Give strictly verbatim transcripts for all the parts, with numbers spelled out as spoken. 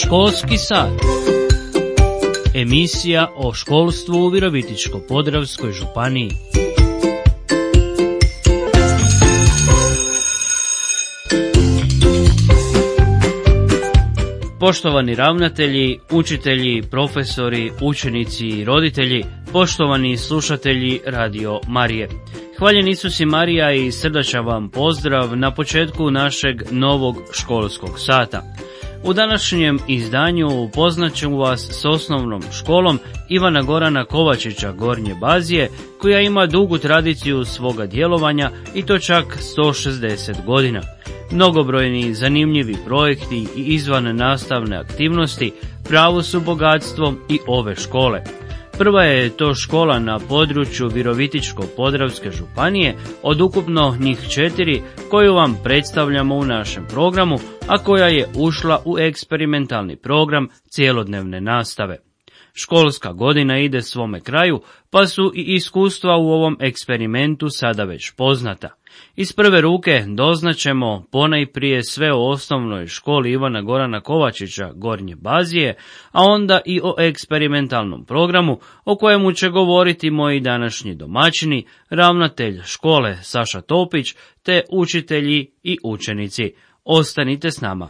Školski sat. Emisija o školstvu u Virovitičko-podravskoj županiji. Poštovani ravnatelji, učitelji, profesori, učenici i roditelji, poštovani slušatelji Radio Marije. Hvaljen Isus i Marija i srdačan vam pozdrav na početku našeg novog školskog sata. U današnjem izdanju upoznat ću vas s osnovnom školom Ivana Gorana Kovačića Gornje Bazije, koja ima dugu tradiciju svoga djelovanja i to čak sto šezdeset godina. Mnogobrojni zanimljivi projekti i izvan nastavne aktivnosti pravo su bogatstvo i ove škole. Prva je to škola na području Virovitičko-podravske županije od ukupno njih četiri koju vam predstavljamo u našem programu, a koja je ušla u eksperimentalni program cjelodnevne nastave. Školska godina ide svome kraju, pa su i iskustva u ovom eksperimentu sada već poznata. Iz prve ruke doznaćemo ponajprije sve o osnovnoj školi Ivana Gorana Kovačića Gornje Bazije, a onda i o eksperimentalnom programu o kojemu će govoriti moji današnji domaćini, ravnatelj škole Saša Topić te učitelji i učenici. Ostanite s nama.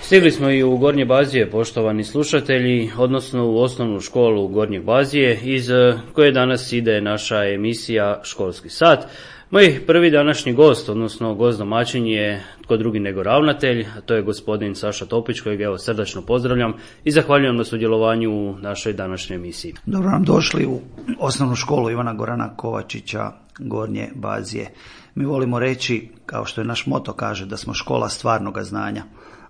Stigli smo i u Gornje Bazije, poštovani slušatelji, odnosno u osnovnu školu Gornje Bazije, iz koje danas ide naša emisija Školski sat. Moj prvi današnji gost, odnosno gost domaćin je tko drugi nego ravnatelj, a to je gospodin Saša Topić, kojeg evo srdačno pozdravljam i zahvaljujem na sudjelovanju u našoj današnjoj emisiji. Dobro nam došli u osnovnu školu Ivana Gorana Kovačića Gornje Bazije. Mi volimo reći, kao što je naš moto kaže, da smo škola stvarnoga znanja,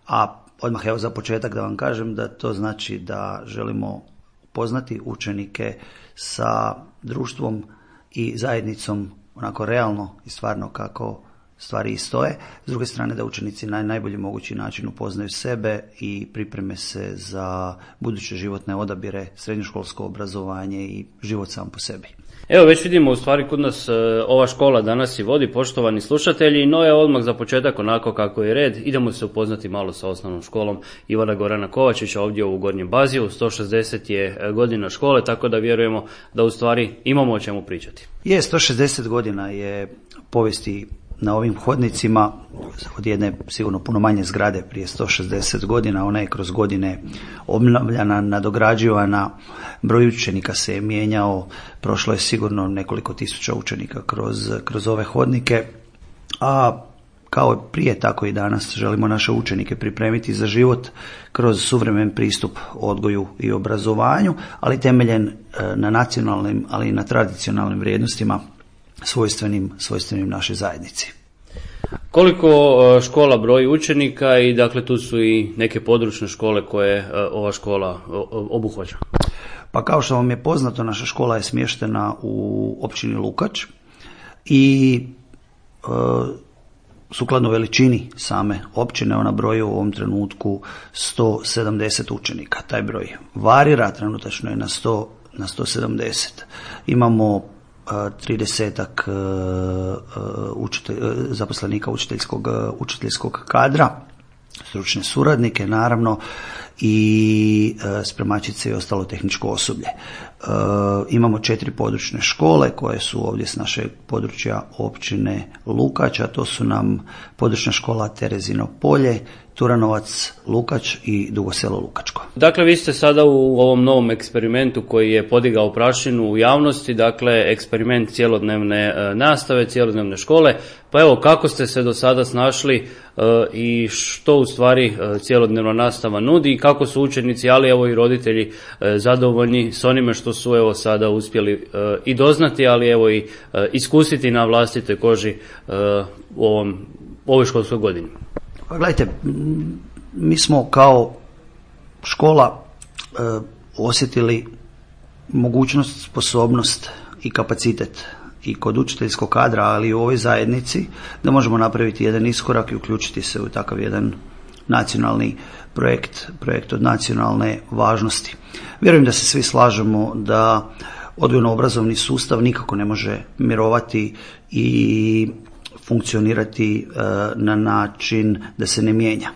a odmah evo za početak da vam kažem da to znači da želimo poznati učenike sa društvom i zajednicom onako realno i stvarno kako stvari i stoje. S druge strane da učenici na najbolji mogući način upoznaju sebe i pripreme se za buduće životne odabire, srednjoškolsko obrazovanje i život sam po sebi. Evo već vidimo u stvari kod nas e, ova škola danas i vodi, poštovani slušatelji, no je odmah za početak onako kako je red. Idemo se upoznati malo sa osnovnom školom Ivana Gorana Kovačića ovdje u Gornjem Baziju. sto šezdeset je godina škole, tako da vjerujemo da u stvari imamo o čemu pričati. Je, sto šezdeset godina je povijesti na ovim hodnicima od jedne sigurno puno manje zgrade prije sto šezdeset godina. Ona je kroz godine obnavljana, nadograđivana, broj učenika se je mijenjao, prošlo je sigurno nekoliko tisuća učenika kroz, kroz ove hodnike, a kao prije tako i danas želimo naše učenike pripremiti za život kroz suvremen pristup odgoju i obrazovanju, ali temeljen na nacionalnim, ali i na tradicionalnim vrijednostima svojstvenim, svojstvenim našoj zajednici. Koliko škola broji učenika i dakle tu su i neke područne škole koje ova škola obuhvaća? Pa kao što vam je poznato, naša škola je smještena u općini Lukač i e, sukladno veličini same općine ona broji u ovom trenutku sto sedamdeset učenika. Taj broj varira, trenutačno je na sto, na sto sedamdeset. Imamo tridesetak učitelj, zaposlenika učiteljskog, učiteljskog kadra, stručne suradnike naravno i spremačice i ostalo tehničko osoblje. Imamo četiri područne škole koje su ovdje s našeg područja općine Lukač, a to su nam područna škola Terezino Polje, Turanovac, Lukač i Dugo Selo Lukačko. Dakle, vi ste sada u ovom novom eksperimentu koji je podigao prašinu u javnosti, dakle eksperiment cjelodnevne nastave, cjelodnevne škole. Pa evo, kako ste se do sada snašli i što u stvari cjelodnevna nastava nudi i kako su učenici, ali evo i roditelji zadovoljni s onime što su evo sada uspjeli i doznati, ali evo i iskusiti na vlastitoj koži u ovom, u ovoj školskoj godini. Pa gledajte, mi smo kao škola e, osjetili mogućnost, sposobnost i kapacitet i kod učiteljskog kadra, ali i u ovoj zajednici da možemo napraviti jedan iskorak i uključiti se u takav jedan nacionalni projekt, projekt od nacionalne važnosti. Vjerujem da se svi slažemo da odgojno-obrazovni sustav nikako ne može mirovati i funkcionirati e, na način da se ne mijenja.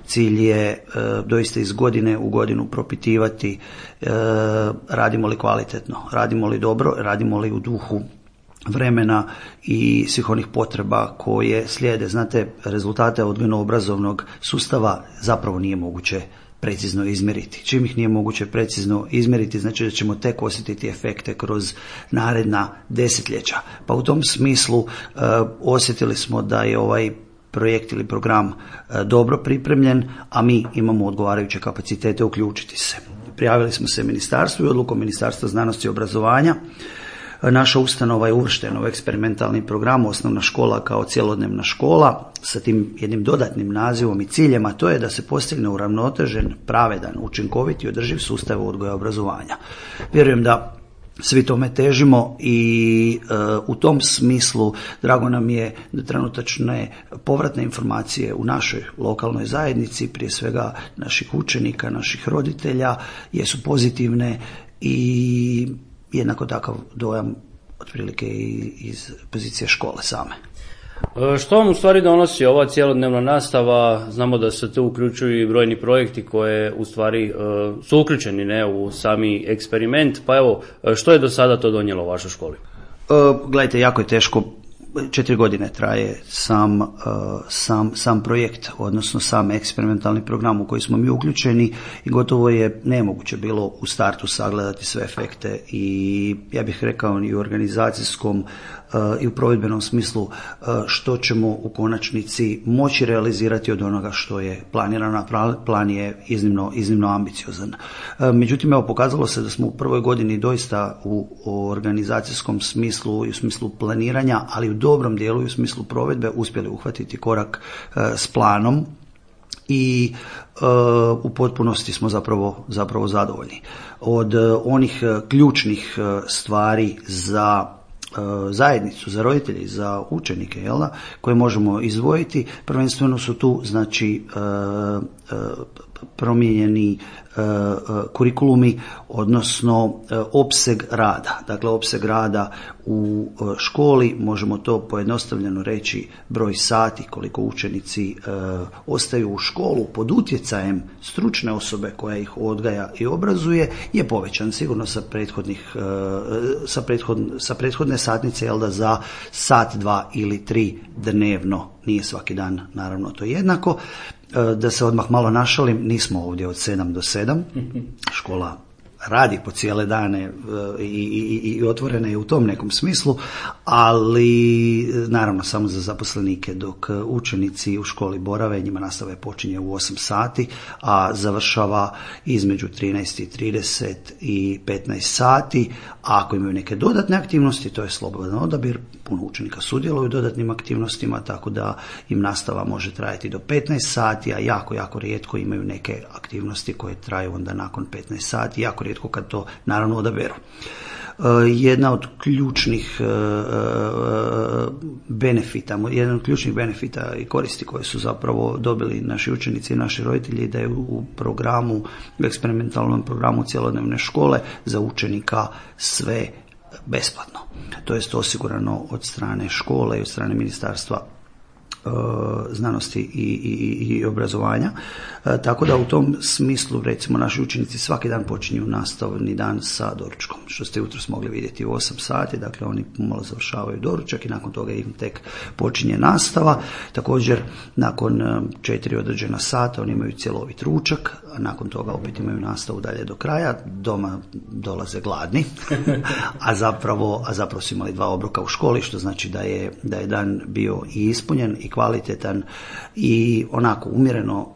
Cilj je e, doista iz godine u godinu propitivati e, radimo li kvalitetno, radimo li dobro, radimo li u duhu vremena i svih onih potreba koje slijede. Znate, rezultate odgojno-obrazovnog sustava zapravo nije moguće precizno izmjeriti. Čim ih nije moguće precizno izmjeriti, znači da ćemo tek osjetiti efekte kroz naredna desetljeća. Pa u tom smislu e, osjetili smo da je ovaj projekt ili program e, dobro pripremljen, a mi imamo odgovarajuće kapacitete uključiti se. Prijavili smo se ministarstvu i odlukom Ministarstva znanosti i obrazovanja. Naša ustanova je uvrštena u eksperimentalni program osnovna škola kao cjelodnevna škola sa tim jednim dodatnim nazivom i ciljem, a to je da se postigne uravnotežen, pravedan, učinkovit i održiv sustav odgoja i obrazovanja. Vjerujem da svi tome težimo i e, u tom smislu drago nam je da trenutačne povratne informacije u našoj lokalnoj zajednici, prije svega naših učenika, naših roditelja, jesu pozitivne i jednako takav dojam otprilike iz pozicije škole same. Što vam u stvari donosi ova cjelodnevna nastava? Znamo da se tu uključuju i brojni projekti koje u stvari su uključeni ne, u sami eksperiment, pa evo, što je do sada to donijelo u vašoj školi? Gledajte, jako je teško. Četiri godine traje sam, sam, sam projekt, odnosno sam eksperimentalni program u koji smo mi uključeni i gotovo je nemoguće bilo u startu sagledati sve efekte i ja bih rekao i u organizacijskom i u provedbenom smislu što ćemo u konačnici moći realizirati od onoga što je planirano. Plan je iznimno, iznimno ambiciozan. Međutim, evo, pokazalo se da smo u prvoj godini doista u organizacijskom smislu i u smislu planiranja, ali u dobrom dijelu i u smislu provedbe uspjeli uhvatiti korak s planom i uh, u potpunosti smo zapravo, zapravo zadovoljni. Od uh, onih uh, ključnih uh, stvari za zajednicu, za roditelje, za učenike, jel da, koje možemo izdvojiti. Prvenstveno su tu, znači, promijenjeni kurikulumi, odnosno opseg rada. Dakle, opseg rada u školi, možemo to pojednostavljeno reći, broj sati koliko učenici ostaju u školu pod utjecajem stručne osobe koja ih odgaja i obrazuje je povećan sigurno sa prethodnih sa, prethod, sa prethodne satnice, jel da, za sat, dva ili tri dnevno. Nije svaki dan, naravno, to jednako. Da se odmah malo našalim, nismo ovdje od sedam do sedam, škola radi po cijele dane i, i, i otvorena je u tom nekom smislu, ali naravno samo za zaposlenike, dok učenici u školi borave, njima nastava počinje u osam sati, a završava između trinaest i trideset i petnaest sati, a ako imaju neke dodatne aktivnosti, to je slobodan odabir, puno učenika sudjeluju u dodatnim aktivnostima, tako da im nastava može trajati do petnaest sati, a jako, jako rijetko imaju neke aktivnosti koje traju onda nakon petnaest sati, jako rijetko kad to naravno odaberu. Jedna od ključnih benefita, jedan od ključnih benefita i koristi koje su zapravo dobili naši učenici i naši roditelji, da je u programu, u eksperimentalnom programu cjelodnevne škole za učenika sve besplatno. To jest osigurano od strane škole i od strane ministarstva znanosti i, i, i obrazovanja. E, tako da u tom smislu, recimo, naši učenici svaki dan počinju nastavni dan sa doručkom, što ste jutros mogli vidjeti u osam sati, dakle oni malo završavaju doručak i nakon toga im tek počinje nastava. Također, nakon četiri određena sata oni imaju cjelovit ručak, a nakon toga opet imaju nastavu dalje do kraja, doma dolaze gladni, a zapravo, a zapravo su imali dva obroka u školi, što znači da je, da je dan bio i ispunjen i kvalitetan i onako umjereno uh,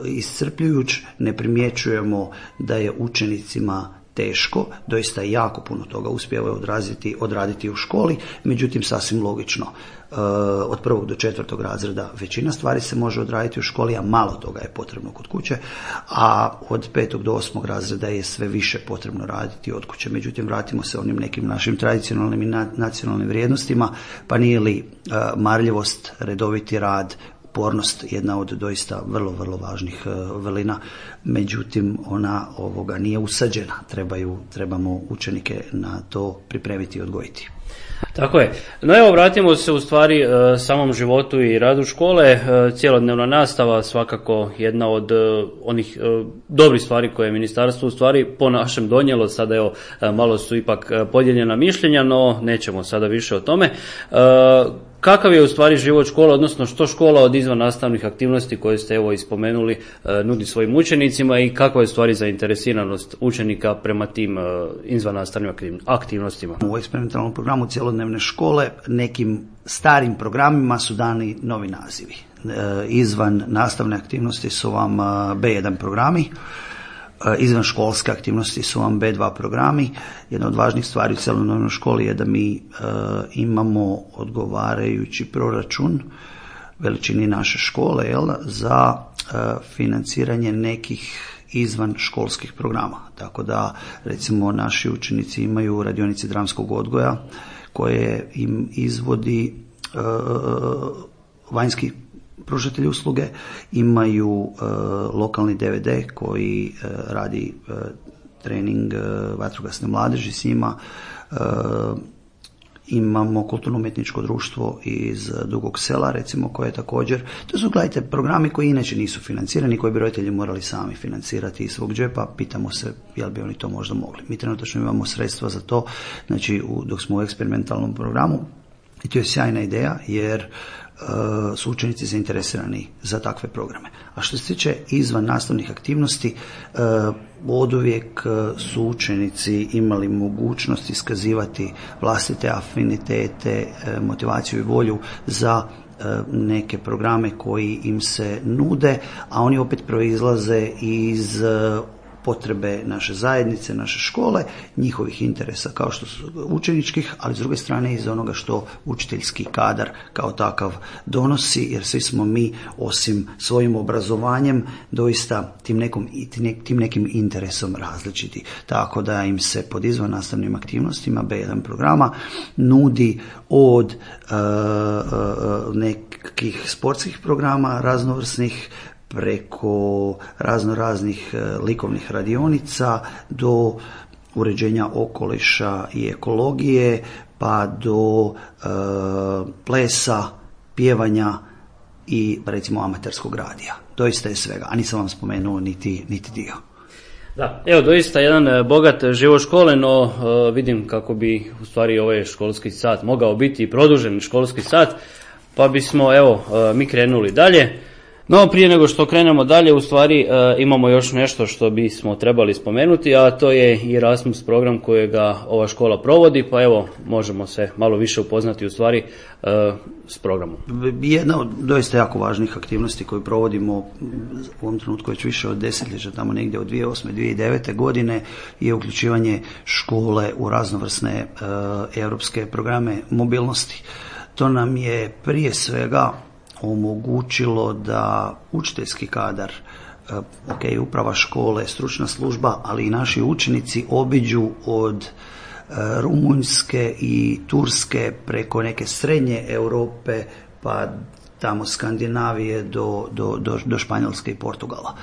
iscrpljujuć. Ne primjećujemo da je učenicima teško, doista jako puno toga uspijevaju odraziti, odraditi u školi, međutim sasvim logično. Uh, od prvog do četvrtog razreda većina stvari se može odraditi u školi, a malo toga je potrebno kod kuće, a od petog do osmog razreda je sve više potrebno raditi od kuće. Međutim, vratimo se onim nekim našim tradicionalnim i nacionalnim vrijednostima, pa nije li uh, marljivost, redoviti rad, upornost jedna od doista vrlo, vrlo važnih uh, velina, međutim ona ovoga nije usađena, trebaju, trebamo učenike na to pripremiti i odgojiti. Tako je. No evo, vratimo se u stvari e, samom životu i radu škole. E, cjelodnevna nastava svakako jedna od e, onih e, dobrih stvari koje je ministarstvo u stvari po našem donijelo. Sada evo, e, malo su ipak podijeljena mišljenja, no nećemo sada više o tome. E, Kakav je u stvari život škola, odnosno što škola od izvan nastavnih aktivnosti koje ste evo ispomenuli e, nudi svojim učenicima i kakva je u stvari zainteresiranost učenika prema tim e, izvan nastavnim aktivnostima? U eksperimentalnom programu cjelodnevne škole nekim starim programima su dani novi nazivi. E, izvan nastavne aktivnosti su vam be jedan programi, izvan školske aktivnosti su vam be dva programi. Jedna od važnih stvari u cjelodnevnoj školi je da mi e, imamo odgovarajući proračun veličini naše škole, jel, za e, financiranje nekih izvan školskih programa. Tako da, recimo, naši učenici imaju radionice dramskog odgoja koje im izvodi e, vanjski pružatelji usluge, imaju uh, lokalni de ve de koji uh, radi uh, trening uh, vatrogasne mladeži s njima, uh, imamo kulturno-umjetničko društvo iz Dugog Sela, recimo, koje je također, to su, gledajte, programi koji inače nisu financirani, koji bi roditelji morali sami financirati iz svog džepa. Pitamo se jel bi oni to možda mogli. Mi trenutno imamo sredstva za to, znači u, dok smo u eksperimentalnom programu, i to je sjajna ideja, jer su učenici zainteresirani za takve programe. A što se tiče izvan nastavnih aktivnosti, oduvijek su učenici imali mogućnost iskazivati vlastite afinitete, motivaciju i volju za neke programe koji im se nude, a oni opet proizlaze iz potrebe naše zajednice, naše škole, njihovih interesa kao što su učeničkih, ali s druge strane iz onoga što učiteljski kadar kao takav donosi, jer svi smo mi osim svojim obrazovanjem doista tim, nekom, tim nekim interesom različiti. Tako da im se pod izvannastavnim aktivnostima be jedan programa nudi od uh, uh, nekih sportskih programa raznovrsnih preko razno raznih uh, likovnih radionica do uređenja okoliša i ekologije, pa do uh, plesa, pjevanja i recimo amaterskog radija. Doista je svega, a nisam vam spomenuo niti, niti dio. Da, evo doista jedan bogat život škole, no uh, vidim kako bi u stvari ovaj školski sat mogao biti produžen školski sat, pa bismo evo uh, mi krenuli dalje. No prije nego što krenemo dalje, u stvari uh, imamo još nešto što bismo trebali spomenuti, a to je Erasmus program kojega ova škola provodi, pa evo možemo se malo više upoznati u stvari uh, s programom. Jedna od doista jako važnih aktivnosti koju provodimo u ovom trenutku već više od desetljeća, tamo negdje od dvije tisuće osme. do dvije tisuće devete. godine je uključivanje škole u raznovrsne uh, europske programe mobilnosti. To nam je prije svega omogućilo da učiteljski kadar, ok, uprava škole, stručna služba, ali i naši učenici obiđu od Rumunjske i Turske preko neke srednje Europe pa tamo Skandinavije do, do, do, do Španjolske i Portugala.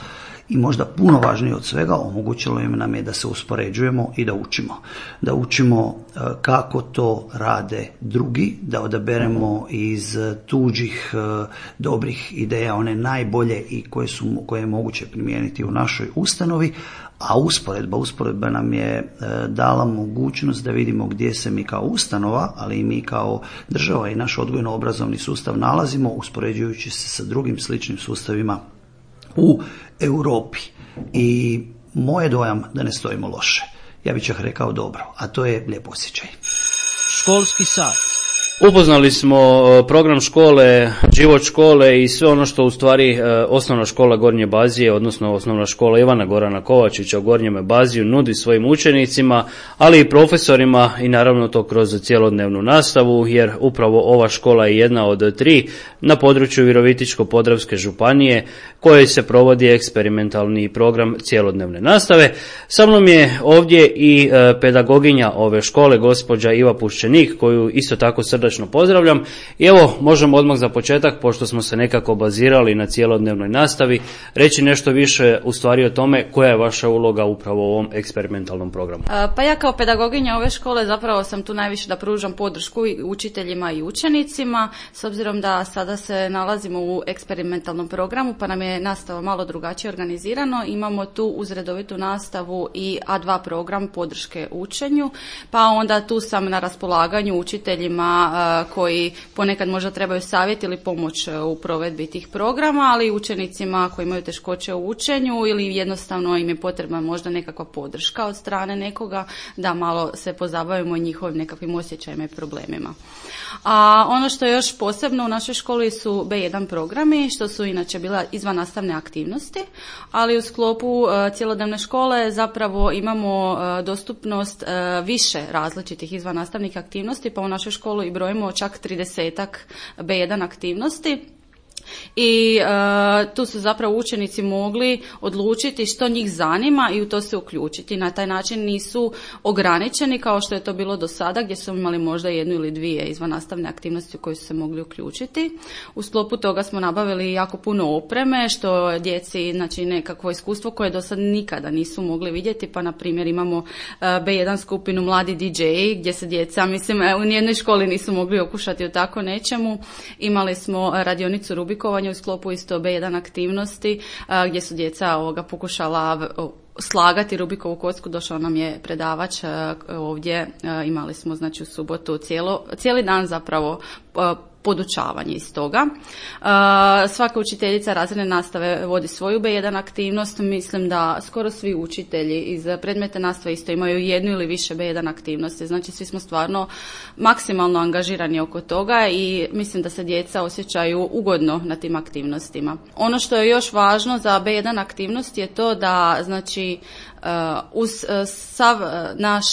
I možda puno važnije od svega, omogućilo im nam je da se uspoređujemo i da učimo. Da učimo kako to rade drugi, da odaberemo iz tuđih dobrih ideja one najbolje i koje, su, koje je moguće primijeniti u našoj ustanovi, a usporedba, usporedba nam je dala mogućnost da vidimo gdje se mi kao ustanova, ali i mi kao država i naš odgojno-obrazovni sustav nalazimo, uspoređujući se sa drugim sličnim sustavima u Europi. I moj dojam da ne stojimo loše. Ja bih čak rekao dobro, a to je lijep osjećaj. Školski sat. Upoznali smo program škole, život škole i sve ono što u stvari osnovna škola Gornje Bazije, odnosno osnovna škola Ivana Gorana Kovačića u Gornjeme Baziju nudi svojim učenicima, ali i profesorima i naravno to kroz cjelodnevnu nastavu, jer upravo ova škola je jedna od tri na području Virovitičko-podravske županije kojoj se provodi eksperimentalni program cjelodnevne nastave. Sa mnom je ovdje i pedagoginja ove škole, gospođa Iva Puščenik, koju isto tako srdačno pozdravljam. I evo, možemo odmah za početak, pošto smo se nekako bazirali na cjelodnevnoj nastavi, reći nešto više u stvari o tome koja je vaša uloga upravo u ovom eksperimentalnom programu. Pa ja kao pedagoginja ove škole zapravo sam tu najviše da pružam podršku učiteljima i učenicima, s obzirom da sada se nalazimo u eksperimentalnom programu, pa nam je nastava malo drugačije organizirano. Imamo tu uz redovitu nastavu i A dva program podrške učenju, pa onda tu sam na raspolaganju učiteljima koji ponekad možda trebaju savjet ili pomoć u provedbi tih programa, ali i učenicima koji imaju teškoće u učenju ili jednostavno im je potrebna možda nekakva podrška od strane nekoga da malo se pozabavimo njihovim nekakvim osjećajima i problemima. A ono što je još posebno u našoj školi su be jedan programi, što su inače bila izvannastavne aktivnosti, ali u sklopu uh, cjelodnevne škole zapravo imamo uh, dostupnost uh, više različitih izvannastavnih aktivnosti, pa u našoj školi i brojimo čak tridesetak be jedan aktivnosti. I uh, tu su zapravo učenici mogli odlučiti što njih zanima i u to se uključiti. Na taj način nisu ograničeni kao što je to bilo do sada, gdje su imali možda jednu ili dvije izvannastavne aktivnosti u koje su se mogli uključiti. U sklopu toga smo nabavili jako puno opreme, što djeci, znači nekakvo iskustvo koje do sad nikada nisu mogli vidjeti, pa na primjer imamo uh, be jedan skupinu Mladi di džeji, gdje se djeca, mislim, u nijednoj školi nisu mogli okušati o tako nečemu. Imali smo radionicu Rubikovanja u sklopu isto be jedan aktivnosti gdje su djeca ovoga pokušala slagati Rubikovu kocku. Došao nam je predavač ovdje, imali smo znači u subotu cijelo, cijeli dan zapravo podučavanje iz toga. Svaka učiteljica razredne nastave vodi svoju be jedan aktivnost. Mislim da skoro svi učitelji iz predmeta nastave isto imaju jednu ili više be jedan aktivnosti. Znači svi smo stvarno maksimalno angažirani oko toga i mislim da se djeca osjećaju ugodno na tim aktivnostima. Ono što je još važno za be jedan aktivnost je to da znači uz sav naš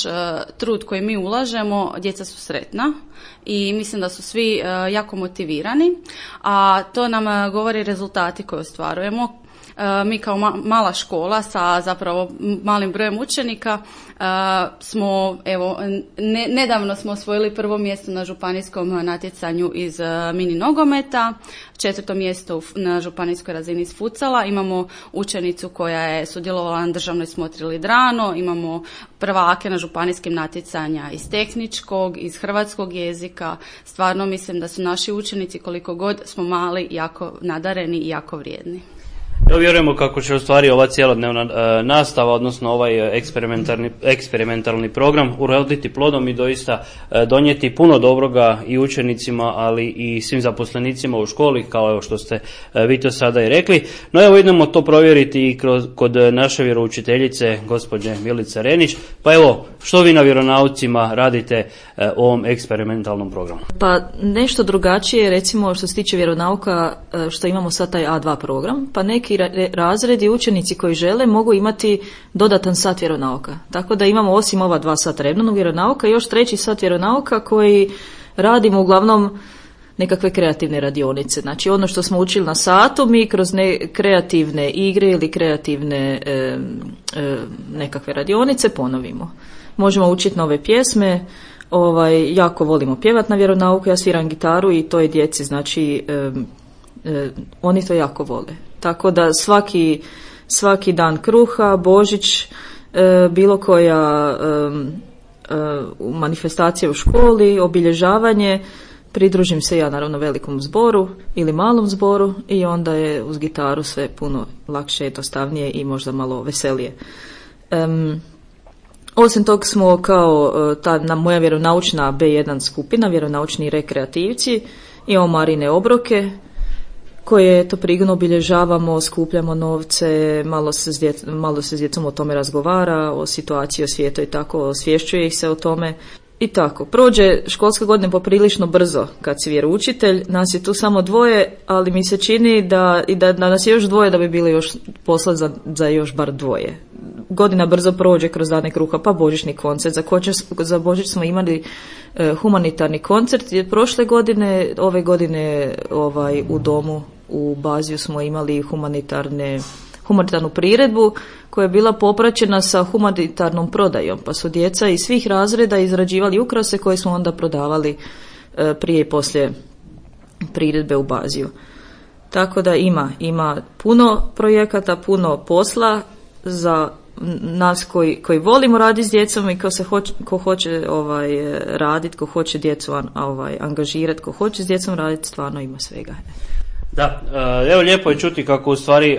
trud koji mi ulažemo, djeca su sretna i mislim da su svi jako motivirani, a to nam govori rezultati koje ostvarujemo. Mi kao mala škola sa zapravo malim brojem učenika smo, evo, ne, nedavno smo osvojili prvo mjesto na županijskom natjecanju iz mini nogometa, četvrto mjesto na županijskoj razini iz futsala, imamo učenicu koja je sudjelovala na državnoj smotri Lidrano, imamo prvake na županijskim natjecanja iz tehničkog, iz hrvatskog jezika. Stvarno mislim da su naši učenici, koliko god smo mali, jako nadareni i jako vrijedni. Evo vjerujemo kako će u stvari ova cijelodnevna e, nastava, odnosno ovaj eksperimentalni, eksperimentalni program uroditi plodom i doista e, donijeti puno dobroga i učenicima, ali i svim zaposlenicima u školi, kao evo što ste e, vi to sada i rekli. No evo idemo to provjeriti i kroz, kod naše vjeroučiteljice, gospođe Milice Renić. Pa evo, što vi na vjeronaucima radite e, u ovom eksperimentalnom programu? Pa nešto drugačije, recimo što se tiče vjeronauka, što imamo sad taj A dva program, pa neki razredi učenici koji žele mogu imati dodatan sat vjeronauka. Tako da imamo osim ova dva sata redovnog vjeronauka još treći sat vjeronauka koji radimo uglavnom nekakve kreativne radionice. Znači ono što smo učili na satu mi kroz ne, kreativne igre ili kreativne e, e, nekakve radionice ponovimo. Možemo učiti nove pjesme, ovaj, jako volimo pjevati na vjeronauku, ja sviram gitaru i to je djeci, znači e, e, oni to jako vole. Tako da svaki, svaki dan kruha, Božić, e, bilo koja e, e, manifestacija u školi, obilježavanje, pridružim se ja naravno velikom zboru ili malom zboru i onda je uz gitaru sve puno lakše, jednostavnije i možda malo veselije. E, osim tog smo kao ta na moja vjeronaučna be jedan skupina, vjeronaučni rekreativci, imamo Marine obroke, koje to prigodno obilježavamo, skupljamo novce, malo se, s djec, malo se s djecom o tome razgovara, o situaciji, o svijetu i tako, osvješćuje ih se o tome. I tako, prođe školska godina poprilično brzo kad si vjeroučitelj, nas je tu samo dvoje, ali mi se čini da, i da, da nas je još dvoje da bi bili još posla za, za još bar dvoje. Godina brzo prođe kroz dane kruha, pa božićni koncert. Za, kočer, za Božić smo imali e, humanitarni koncert, jer prošle godine, ove godine ovaj, u domu u Baziju smo imali humanitarne, humanitarnu priredbu koja je bila popraćena sa humanitarnom prodajom, pa su djeca iz svih razreda izrađivali ukrase koje smo onda prodavali e, prije i poslije priredbe u Baziju. Tako da ima, ima puno projekata, puno posla za nas koji, koji volimo raditi s djecom i ko, se hoće, ko hoće ovaj, raditi, ko hoće djecu ovaj, angažirati, ko hoće s djecom raditi, stvarno ima svega. Da, evo lijepo je čuti kako u stvari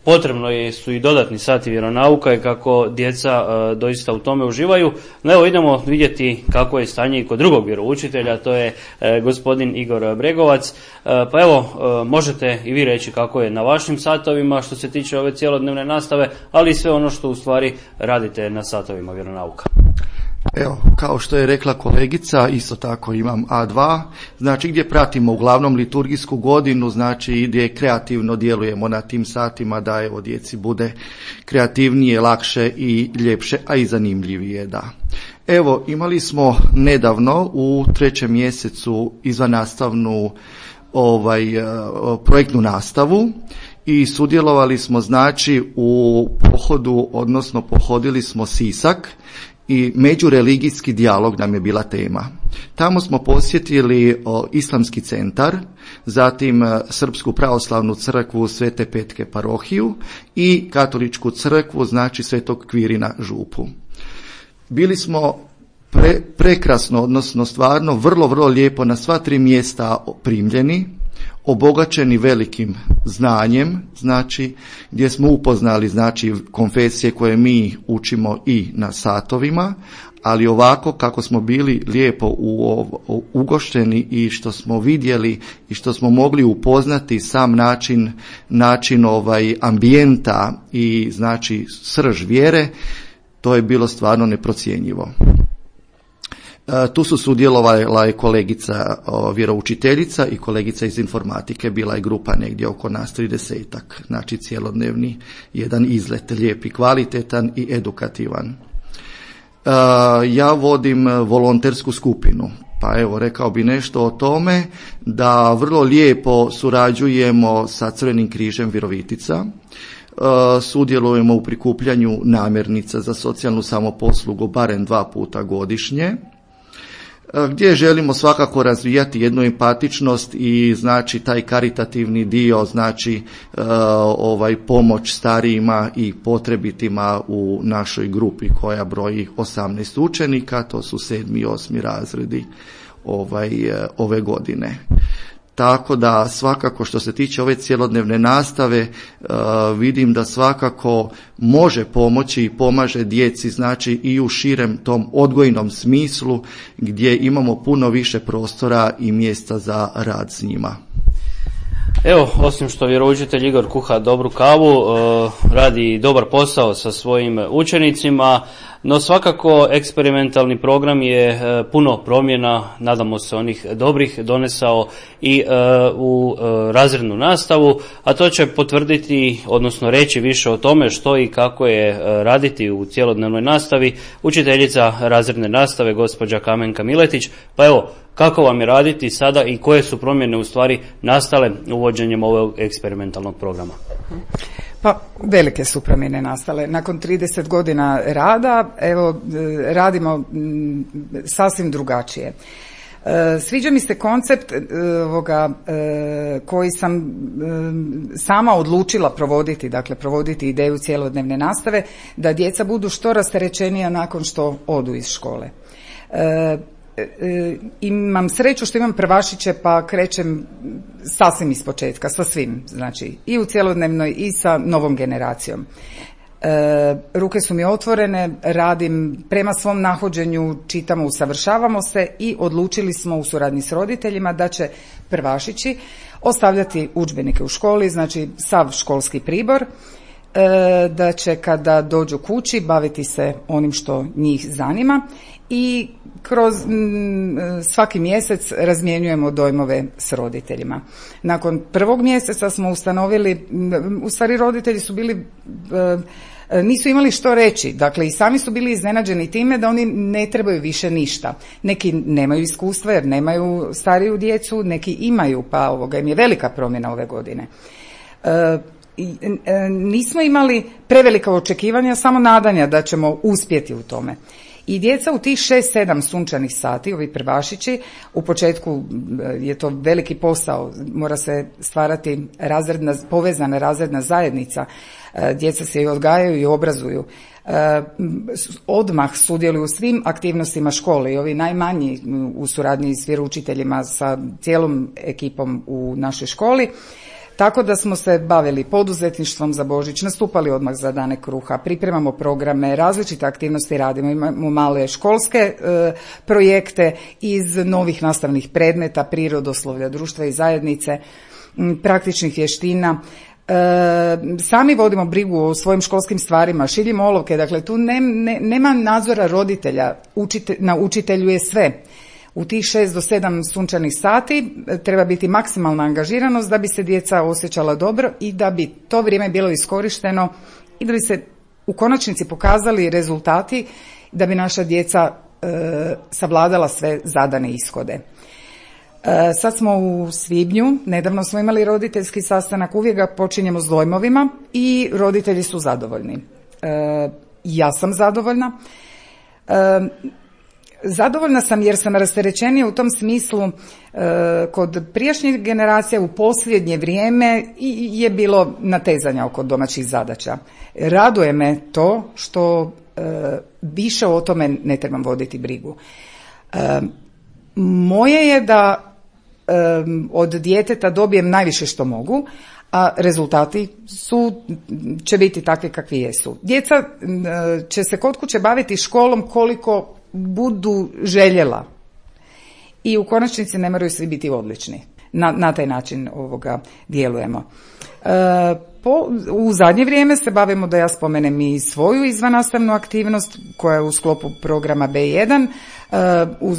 potrebno su i dodatni sati vjeronauka i kako djeca doista u tome uživaju. No evo idemo vidjeti kako je stanje i kod drugog vjeroučitelja, to je gospodin Igor Bregovac. Pa evo, možete i vi reći kako je na vašim satovima što se tiče ove cijelodnevne nastave, ali i sve ono što u stvari radite na satovima vjeronauka. Evo, kao što je rekla kolegica, isto tako imam A dva, znači gdje pratimo uglavnom liturgijsku godinu, znači gdje kreativno djelujemo na tim satima da evo djeci bude kreativnije, lakše i ljepše, a i zanimljivije, da. Evo, imali smo nedavno u trećem mjesecu izvannastavnu ovaj, projektnu nastavu i sudjelovali smo znači u pohodu, odnosno pohodili smo Sisak, i međureligijski dijalog nam je bila tema. Tamo smo posjetili o, Islamski centar, zatim Srpsku pravoslavnu crkvu Svete Petke parohiju i Katoličku crkvu, znači Svetog Kvirina župu. Bili smo pre, prekrasno, odnosno stvarno vrlo, vrlo lijepo na sva tri mjesta primljeni. obogaćeni velikim znanjem, znači gdje smo upoznali znači konfesije koje mi učimo i na satovima, ali ovako kako smo bili lijepo u, u, ugošteni i što smo vidjeli i što smo mogli upoznati sam način, način ovaj ambijenta i znači srž vjere, to je bilo stvarno neprocjenjivo. Tu su sudjelovala je kolegica o, vjeroučiteljica i kolegica iz informatike, bila je grupa negdje oko nas tridesetak, znači cjelodnevni jedan izlet, lijep i kvalitetan i edukativan. E, ja vodim volontersku skupinu, pa evo rekao bi nešto o tome da vrlo lijepo surađujemo sa Crvenim križem Virovitica. Uh, sudjelujemo u prikupljanju namirnica za socijalnu samoposlugu barem dva puta godišnje, uh, gdje želimo svakako razvijati jednu empatičnost i znači taj karitativni dio, znači uh, ovaj pomoć starijima i potrebitima u našoj grupi koja broji osamnaest učenika, to su sedmi i osmi razredi ovaj, uh, ove godine. Tako da svakako što se tiče ove cjelodnevne nastave uh, vidim da svakako može pomoći i pomaže djeci znači i u širem tom odgojnom smislu gdje imamo puno više prostora i mjesta za rad s njima. Evo, osim što vjeroučitelj Igor kuha dobru kavu, radi dobar posao sa svojim učenicima, no svakako eksperimentalni program je puno promjena, nadamo se onih dobrih, donesao i u razrednu nastavu, a to će potvrditi, odnosno reći više o tome što i kako je raditi u cjelodnevnoj nastavi učiteljica razredne nastave, gospođa Kamenka Miletić. Pa evo, kako vam je raditi sada i koje su promjene u stvari nastale uvođenjem ovog eksperimentalnog programa? Pa velike su promjene nastale. Nakon trideset godina rada, evo, radimo sasvim drugačije. Sviđa mi se koncept ovoga, koji sam sama odlučila provoditi, dakle provoditi ideju cjelodnevne nastave, da djeca budu što rasterećenija nakon što odu iz škole. Imam sreću što imam prvašiće pa krećem sasvim iz početka, sa svim, znači i u cjelodnevnoj i sa novom generacijom. E, ruke su mi otvorene, radim prema svom nahođenju, čitamo, usavršavamo se i odlučili smo u suradnji s roditeljima da će prvašići ostavljati udžbenike u školi, znači sav školski pribor, e, da će kada dođu kući baviti se onim što njih zanima i kroz m, svaki mjesec razmjenjujemo dojmove s roditeljima. Nakon prvog mjeseca smo ustanovili, m, u stvari roditelji su bili, e, nisu imali što reći, dakle i sami su bili iznenađeni time da oni ne trebaju više ništa. Neki nemaju iskustva jer nemaju stariju djecu, neki imaju, pa ovoga im je velika promjena ove godine. E, nismo imali prevelika očekivanja, samo nadanja da ćemo uspjeti u tome. I djeca u tih šest sedam sunčanih sati, ovi prvašići, u početku je to veliki posao, mora se stvarati razredna, povezana razredna zajednica, djeca se i odgajaju i obrazuju, odmah sudjeluju u svim aktivnostima škole i ovi najmanji u suradnji s vjeroučiteljima sa cijelom ekipom u našoj školi. Tako da smo se bavili poduzetništvom za Božić, nastupali odmah za dane kruha, pripremamo programe, različite aktivnosti radimo, imamo male školske e, projekte iz novih nastavnih predmeta, prirodoslovlja, društva i zajednice, m, praktičnih vještina. E, sami vodimo brigu o svojim školskim stvarima, šiljimo olovke, dakle tu ne, ne, nema nadzora roditelja, učite, na učitelju je sve. U tih šest do sedam sunčanih sati treba biti maksimalna angažiranost da bi se djeca osjećala dobro i da bi to vrijeme bilo iskorišteno i da bi se u konačnici pokazali rezultati, da bi naša djeca e, savladala sve zadane ishode. E, sad smo u svibnju, nedavno smo imali roditeljski sastanak, uvijek ga počinjemo s dojmovima i roditelji su zadovoljni. E, ja sam zadovoljna. E, Zadovoljna sam jer sam rasterećenija u tom smislu. E, kod prijašnjih generacija u posljednje vrijeme je bilo natezanja oko domaćih zadaća. Raduje me to što e, više o tome ne trebam voditi brigu. E, moje je da od djeteta dobijem najviše što mogu, a rezultati su, će biti takvi kakvi jesu. Djeca će se kod kuće baviti školom koliko budu željela i u konačnici ne moraju svi biti odlični. Na, na taj način ovoga djelujemo. E, po, u zadnje vrijeme se bavimo, da ja spomenem i svoju izvannastavnu aktivnost koja je u sklopu programa be jedan. E, uz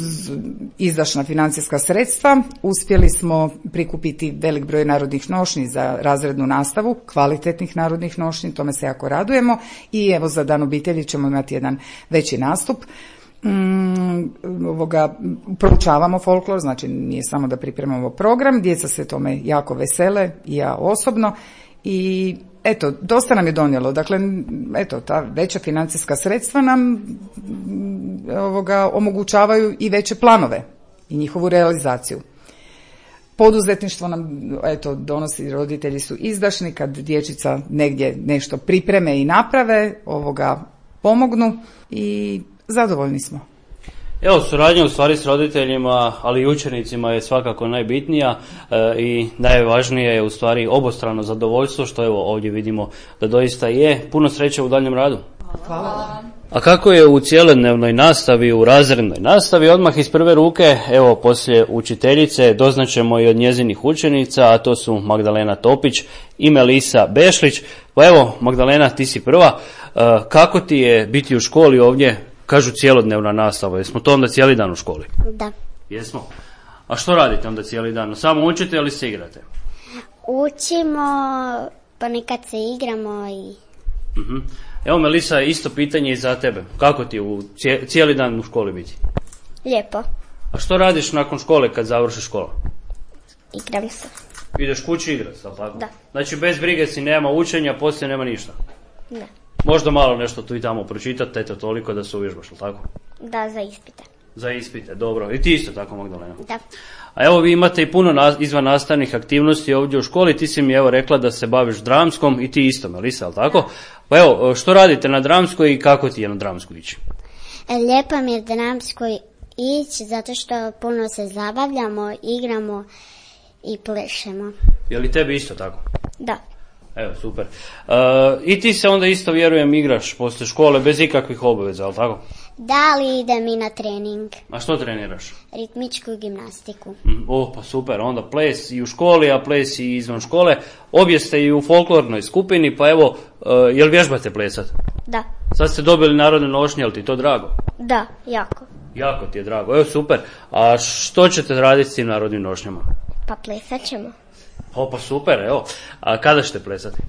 izdašna financijska sredstva uspjeli smo prikupiti velik broj narodnih nošnji za razrednu nastavu, kvalitetnih narodnih nošnji, tome se jako radujemo i evo za Dan obitelji ćemo imati jedan veći nastup. Mm, ovoga, proučavamo folklor, znači nije samo da pripremamo program, djeca se tome jako vesele i ja osobno i eto, dosta nam je donijelo, dakle, eto, ta veća financijska sredstva nam ovoga, omogućavaju i veće planove i njihovu realizaciju. Poduzetništvo nam, eto, donosi, roditelji su izdašni kad dječica negdje nešto pripreme i naprave, ovoga, pomognu i zadovoljni smo. Evo, suradnja u stvari s roditeljima, ali i učenicima je svakako najbitnija e, i najvažnije je u stvari obostrano zadovoljstvo, što evo ovdje vidimo da doista je. Puno sreće u daljem radu. Hvala. A kako je u cjelodnevnoj nastavi, u razrednoj nastavi, odmah iz prve ruke, evo poslije učiteljice, doznaćemo i od njezinih učenica, a to su Magdalena Topić i Melisa Bešlić. Pa evo, Magdalena, ti si prva. E, kako ti je biti u školi ovdje? Kažu cjelodnevna nastava, jesmo to onda cijeli dan u školi? Da. Jesmo. A što radite onda cijeli dan? Samo učite ili se igrate? Učimo, pa nekad se igramo i... Uh-huh. Evo Melisa, isto pitanje i za tebe. Kako ti je u cijeli dan u školi biti? Lijepo. A što radiš nakon škole kad završiš školu? Igram se. Ideš kući igrat, tako? Da. Znači bez brige si, nema učenja, poslije nema ništa? Da. Možda malo nešto tu i tamo pročitati, eto toliko da se uvježbaš, tako? Da, za ispite. Za ispite, dobro. I ti isto tako, Magdalena? Da. A evo vi imate i puno na, izvan nastavnih aktivnosti ovdje u školi, ti si mi evo rekla da se baviš dramskom i ti isto, Melisa, ali tako? Pa evo, što radite na dramskoj i kako ti je na dramskoj ići? Lijepo mi je dramskoj ići zato što puno se zabavljamo, igramo i plešemo. Je li tebi isto tako? Da. Evo, super. Uh, I ti se onda isto, vjerujem, igraš poslije škole bez ikakvih obaveza, ali tako? Da, li idem i na trening. A što treniraš? Ritmičku gimnastiku. Mm, o, pa super, onda ples i u školi, a ples i izvan škole. Obje ste i u folklornoj skupini, pa evo, uh, jel vježbate plesat? Da. Sad ste dobili narodne nošnje, jel ti to drago? Da, jako. Jako ti je drago, evo super. A što ćete raditi s tim narodnim nošnjama? Pa plesat ćemo. O, pa super, evo. A kada ćete plesati?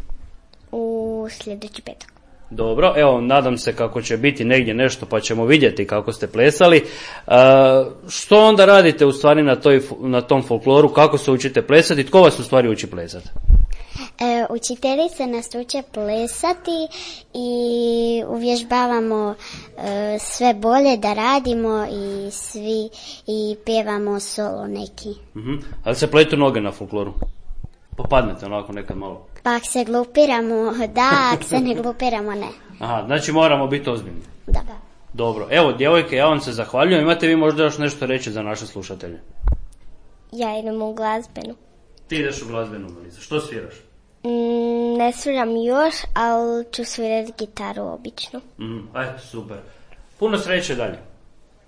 U sljedeći petak. Dobro, evo, nadam se kako će biti negdje nešto, pa ćemo vidjeti kako ste plesali. E, što onda radite u stvari na, toj, na tom folkloru, kako se učite plesati, tko vas u stvari uči plesati? E, učiteljica nas uče plesati i uvježbavamo e, sve bolje da radimo i svi i pjevamo solo neki. Uh-huh. Ali se pletu noge na folkloru? Pa padnete onako nekad malo? Pa ako se glupiramo, da, ako se ne glupiramo, ne. Aha, znači moramo biti ozbiljni. Da. Dobro, evo djevojke, ja vam se zahvaljujem, imate vi možda još nešto reći za naše slušatelje? Ja idem u glazbenu. Ti ideš u glazbenu, Melisa, što sviraš? Mm, ne sviram još, ali ću svirati gitaru obično. Mm, ajde, super. Puno sreće dalje.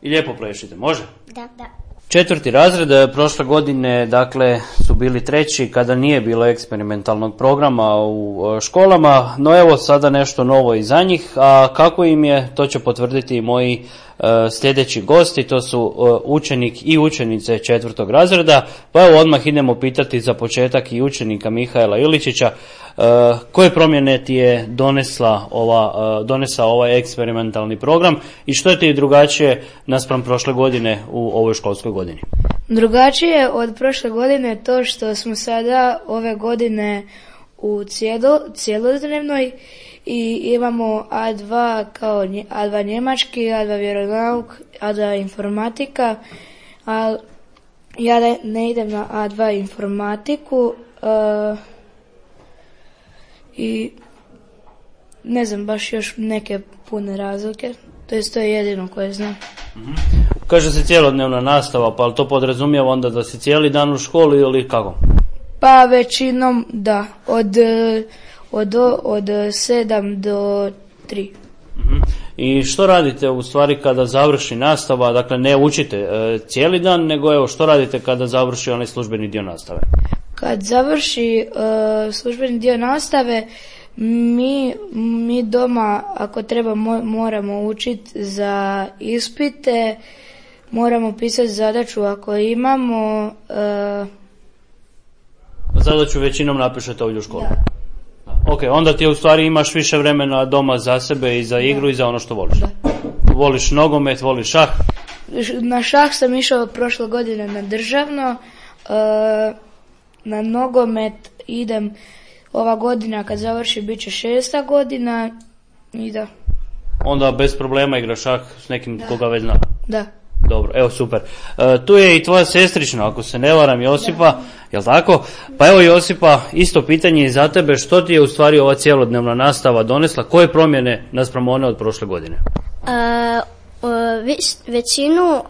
I lijepo plešite, može? Da, da. Četvrti razred prošle godine, dakle, su bili treći kada nije bilo eksperimentalnog programa u školama, no evo sada nešto novo i za njih, a kako im je, to će potvrditi i moji uh, sljedeći gosti, to su uh, učenik i učenice četvrtog razreda, pa evo odmah idemo pitati za početak i učenika Mihaela Iličića, uh, koje promjene ti je donesla ova, uh, donesao ovaj eksperimentalni program i što je ti drugačije naspram prošle godine u ovoj školskoj godini? Drugačije od prošle godine to što smo sada ove godine u cijelo, cijelodnevnoj i imamo A dva kao A dva njemački, A dva vjeronauk, A dva informatika, a ja ne idem na A dva informatiku uh, i ne znam baš još neke pune razlike. To je to je jedino koje znam. Mm-hmm. Kaže se cjelodnevna nastava, pa to podrazumijeva onda da si cijeli dan u školi ili kako? Pa većinom da, od, od, od sedam do tri. Uh-huh. I što radite u stvari kada završi nastava, dakle ne učite e, cijeli dan, nego evo što radite kada završi onaj službeni dio nastave? Kad završi e, službeni dio nastave, mi, mi doma ako treba mo, moramo učiti za ispite, moramo pisati zadaću ako imamo. E, Zadaću većinom napišete ovdje u školi? Da. Ok, onda ti u stvari imaš više vremena doma za sebe i za igru da. I za ono što voliš. Da. Voliš nogomet, voliš šah? Na šah sam išao prošle godine na državno, na nogomet idem ova godina kad završi bit će šesta godina i da. Onda bez problema igraš šah s nekim da. Koga već zna? Da. Dobro, evo super. E, tu je i tvoja sestrična, ako se ne varam, Josipa, da. Jel tako? Pa evo Josipa, isto pitanje i za tebe, što ti je u stvari ova cjelodnevna nastava donesla, koje promjene naspram one od prošle godine? Uh, već, većinu, uh,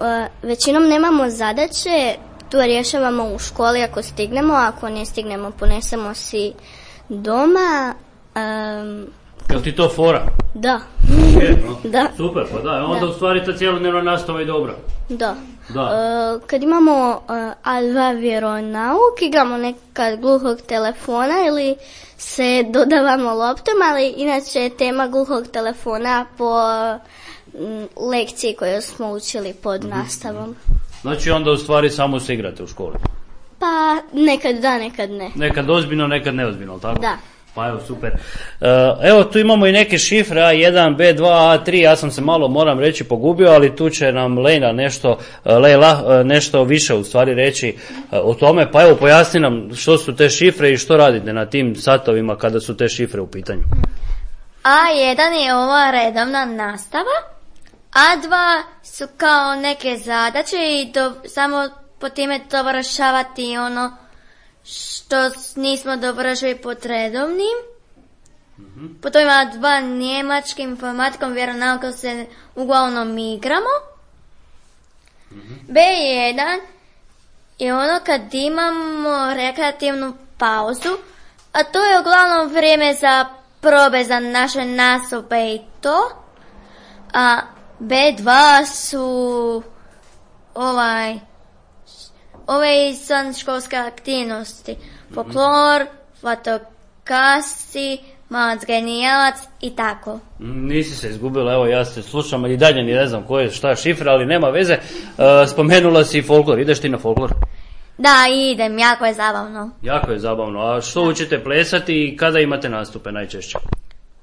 većinom nemamo zadaće, tu rješavamo u školi ako stignemo, ako ne stignemo ponesemo si doma. Um, Jel ti to fora? Da. Je, no? Da. Super, pa da, onda da. U stvari ta cjelodnevna nastava je dobra. Da. Da. Uh, kad imamo uh, A dva vjeronauk, igramo nekad gluhog telefona ili se dodavamo loptom, ali inače je tema gluhog telefona po um, lekciji koju smo učili pod mm-hmm. nastavom. Znači onda u stvari samo se igrate u školi? Pa nekad da, nekad ne. Nekad ozbiljno, nekad neozbiljno, tako? Da. Pa evo, super. Evo, tu imamo i neke šifre, A jedan, B dva, A tri, ja sam se malo, moram reći, pogubio, ali tu će nam Lejla nešto, Lejla nešto više u stvari reći o tome, pa evo, pojasni nam što su te šifre i što radite na tim satovima kada su te šifre u pitanju. A jedan je ova redovna nastava, A dva su kao neke zadaće i do, samo po time dovršavati ono što nismo dovršili pod redovnim. Mm-hmm. Potom ima dva njemačkim informatikom vjeronaukom se uglavnom igramo. Mm-hmm. B jedan je ono kad imamo rekreativnu pauzu, a to je uglavnom vrijeme za probe za naše nastupe i to. A B dva su ovaj ove izvanškolske aktivnosti, folklor, fotokasi, malac genijalac i tako. Nisi se izgubila, evo ja se slušam i dalje ni ne znam koje, šta je šifra, ali nema veze. E, spomenula si folklor, ideš ti na folklor? Da, idem, jako je zabavno. Jako je zabavno, a što da. Učite plesati i kada imate nastupe najčešće?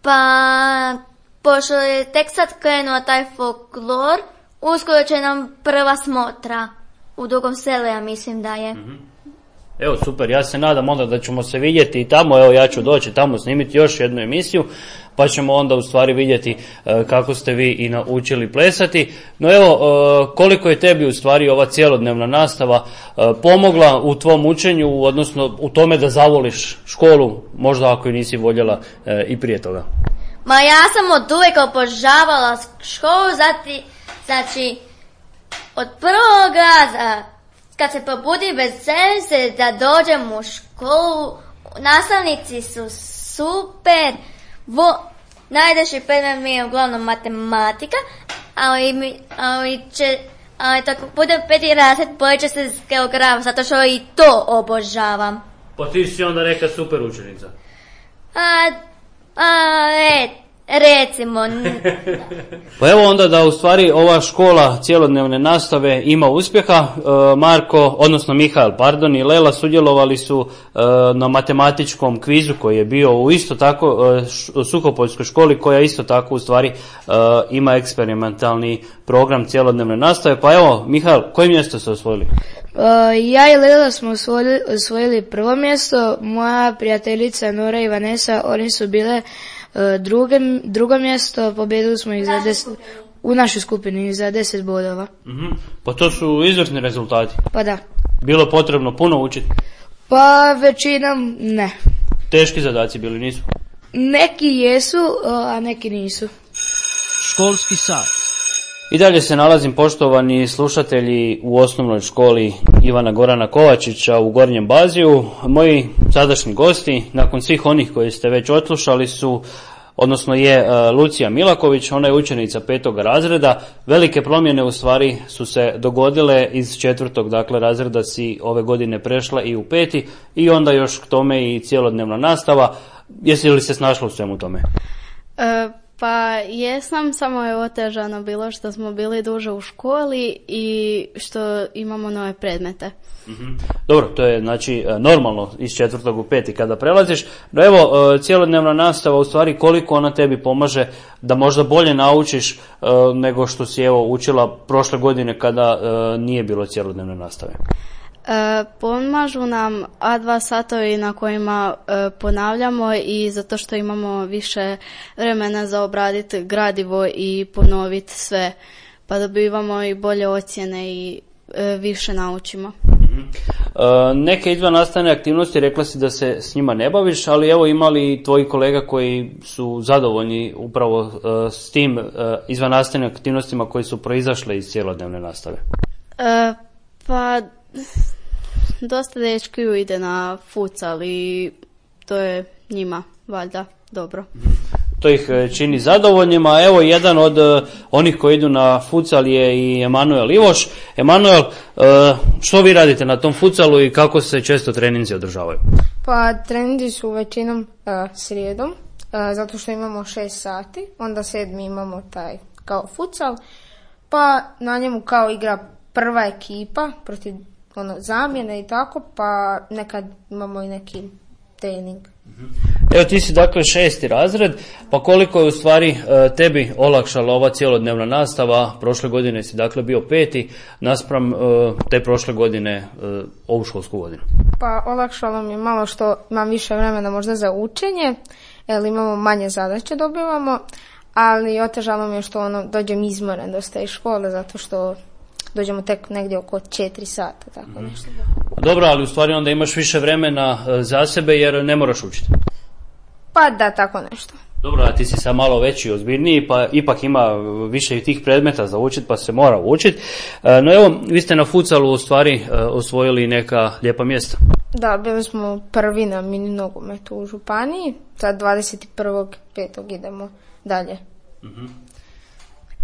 Pa, pošto je tek sad krenuo taj folklor, uskoro će nam prva smotra. U Dugom Selu, ja mislim da je. Mm-hmm. Evo, super, ja se nadam onda da ćemo se vidjeti i tamo, evo ja ću doći tamo snimiti još jednu emisiju, pa ćemo onda u stvari vidjeti e, kako ste vi i naučili plesati. No evo, e, koliko je tebi u stvari ova cjelodnevna nastava e, pomogla u tvom učenju, odnosno u tome da zavoliš školu, možda ako i nisi voljela e, i prije toga? Ma ja sam od uvijek obožavala školu, zati, znači... Od prvog raza, kad se probudim veselim se da dođem u školu, nastavnici su super, vo, najdeši predmet mi je uglavnom matematika, ali, mi, ali, će, ali tako budem peti razred, bolje će se s geografom, zato što i to obožavam. Pa ti si onda neka super učenica. A, a, et. Recimo. Pa evo onda da u stvari ova škola cjelodnevne nastave ima uspjeha. E, Marko, odnosno Mihael, pardon, i Lela sudjelovali su e, na matematičkom kvizu koji je bio u isto tako e, Suhopoljskoj školi koja isto tako u stvari e, ima eksperimentalni program cjelodnevne nastave. Pa evo, Mihael, koje mjesto ste osvojili? Uh, ja i Lela smo osvojili, osvojili prvo mjesto, moja prijateljica Nora i Vanessa, oni su bile uh, druge, drugo mjesto, pobjedili smo ih za deset, u našoj skupini za deset bodova. Mm-hmm. Pa to su izvrsni rezultati. Pa da. Bilo potrebno puno učiti? Pa većinom ne. Teški zadaci bili, nisu? Neki jesu, a neki nisu. Školski sat. I dalje se nalazim, poštovani slušatelji, u osnovnoj školi Ivana Gorana Kovačića u Gornjem Baziju. Moji sadašnji gosti, nakon svih onih koji ste već odslušali, su, odnosno je Lucija Milaković, ona je učenica petog razreda. Velike promjene u stvari su se dogodile, iz četvrtog dakle razreda si ove godine prešla i u peti, i onda još k tome i cjelodnevna nastava. Jesi li se snašla u svemu tome? E, pa jesam, samo je otežano bilo što smo bili duže u školi i što imamo nove predmete. Mm-hmm. Dobro, to je znači normalno iz četvrtog u peti kada prelaziš. No evo, cjelodnevna nastava, u stvari koliko ona tebi pomaže da možda bolje naučiš nego što si evo učila prošle godine kada nije bilo cjelodnevne nastave? E, pomažu nam A dva satovi na kojima e, ponavljamo, i zato što imamo više vremena za obraditi gradivo i ponoviti sve, pa dobivamo i bolje ocjene i e, više naučimo. Mm-hmm. E, neke izvannastavne aktivnosti, rekla si da se s njima ne baviš, ali evo, ima li tvoji kolega koji su zadovoljni upravo e, s tim e, izvannastavnim aktivnostima koji su proizašle iz cjelodnevne nastave? E, pa dosta dečkiju ide na futsal i to je njima valjda dobro. To ih čini zadovoljnima. Evo, jedan od uh, onih koji idu na futsal je i Emanuel Ivoš. Emanuel, uh, što vi radite na tom futsalu i kako se često treninzi održavaju? Pa treninzi su većinom uh, srijedom, uh, zato što imamo šest sati, onda sedmi imamo taj kao futsal, pa na njemu kao igra prva ekipa protiv ono, zamjene i tako, pa nekad imamo i neki trening. Evo, ti si dakle šesti razred, pa koliko je u stvari tebi olakšala ova cjelodnevna nastava? Prošle godine si dakle bio peti naspram te prošle godine ovu školsku godinu. Pa olakšalo mi je malo što imam više vremena možda za učenje, jer imamo manje zadaće dobivamo, ali otežalo mi je što ono, dođem izmoren dosta iz škole, zato što dođemo tek negdje oko četiri sata, tako mm. nešto. Dobro, ali u stvari onda imaš više vremena za sebe jer ne moraš učiti. Pa da, tako nešto. Dobro, a ti si sad malo veći i ozbiljniji, pa ipak ima više tih predmeta za učiti, pa se mora učiti. No evo, vi ste na futsalu u stvari osvojili neka lijepa mjesta. Da, bili smo prvi na mini nogometu u županiji, sad dvadeset prvog petog idemo dalje. Mhm.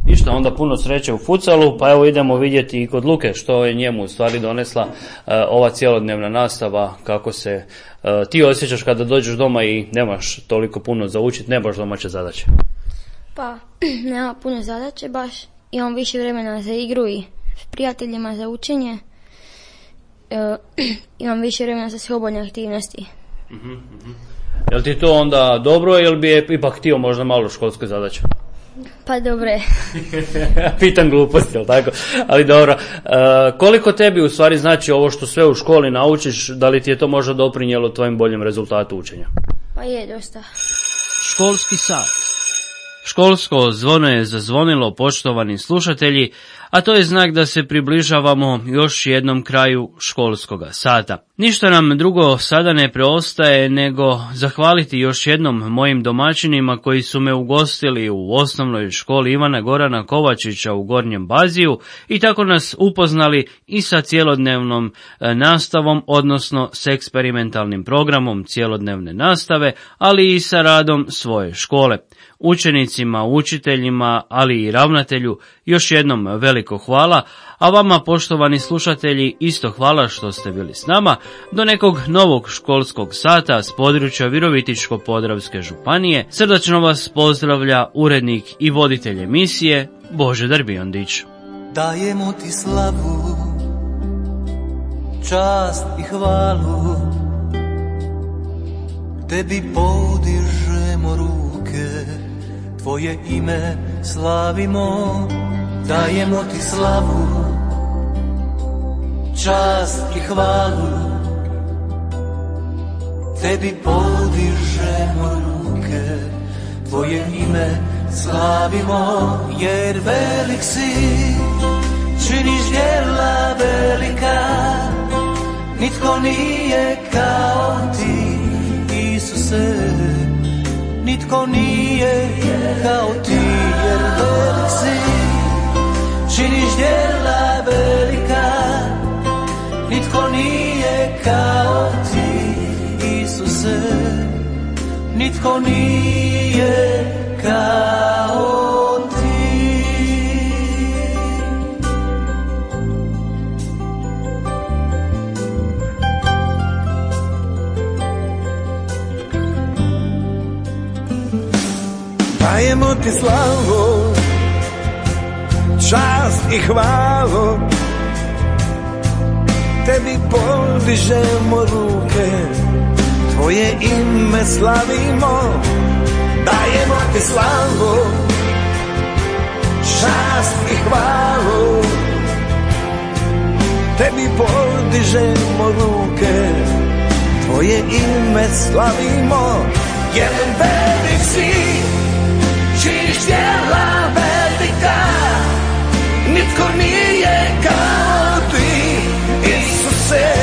Ništa, onda puno sreće u futsalu, pa evo idemo vidjeti i kod Luke što je njemu u stvari donesla uh, ova cjelodnevna nastava, kako se uh, ti osjećaš kada dođeš doma i nemaš toliko puno za učiti, nemaš domaće zadaće. Pa, nema puno zadaće baš, imam više vremena za igru i s prijateljima za učenje, uh, imam više vremena za slobodne aktivnosti. Uh-huh, uh-huh. Jel ti to onda dobro ili bi je ipak htio možda malo školske zadaće? Pa dobre. Pitam gluposti, jel tako? Ali dobro. E, koliko tebi u stvari znači ovo što sve u školi naučiš, da li ti je to možda doprinijelo tvojim boljem rezultatu učenja? Pa je dosta. Školski sat. Školsko zvono je zazvonilo, poštovani slušatelji, a to je znak da se približavamo još jednom kraju školskoga sata. Ništa nam drugo sada ne preostaje nego zahvaliti još jednom mojim domaćinima koji su me ugostili u osnovnoj školi Ivana Gorana Kovačića u Gornjem Baziju i tako nas upoznali i sa cjelodnevnom nastavom, odnosno s eksperimentalnim programom cjelodnevne nastave, ali i sa radom svoje škole. Učenicima, učiteljima, ali i ravnatelju još jednom veliko hvala, a vama, poštovani slušatelji, isto hvala što ste bili s nama. Do nekog novog školskog sata s područja Virovitičko-podravske županije srdačno vas pozdravlja urednik i voditelj emisije Božidar Biondić. Dajemo ti slavu, čast i hvalu, tebi podižemo ruke, tvoje ime slavimo. Dajemo ti slavu, čast i hvalu, tebi podižemo ruke, tvoje ime slavimo. Jer velik si, činiš djela velika, nitko nije kao ti, Isuse, nitko nije kao ti. Jer velik si, činiš djela velika, nitko nije kao ti, Isuse, nitko nije kao ti. Dajemo ti slavu, čast i hvalu, tebi podižemo ruke, tvoje ime slavimo. Dajemo ti slavu, čast i hvalu, tebi podižemo ruke, tvoje ime slavimo. Jer velik si, činiš djela velika, nitko nije kao ti, Isuse,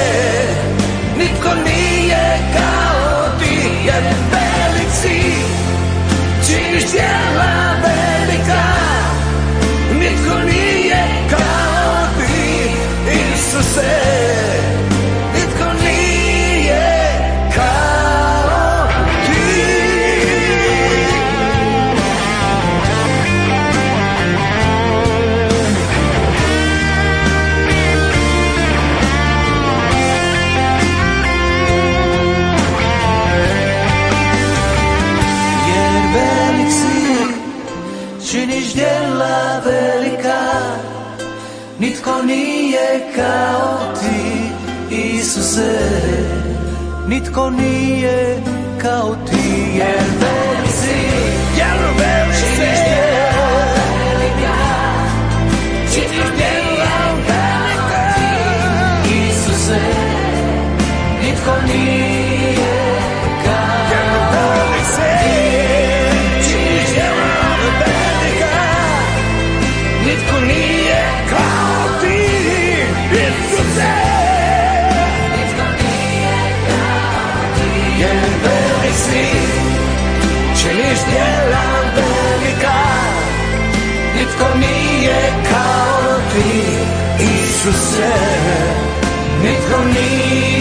nitko nije kao ti. Jer velik si, činiš djela velika, nitko nije kao ti, Isuse, nitko nije kao ti. Jer velik si, činiš djela velika, nitko nije kao ti, Isuse, nitko nije kao ti. Jer velik si, jer velik si, činiš djela velika, činiš djela velika, Isuse, nitko nije kao ti. Jer velik si, činiš djela velika, nitko nije kao ti, Isuse, nitko nije kao ti. Jer velik si, činiš djela velika, nitko nije kao ti, Isuse, nitko nije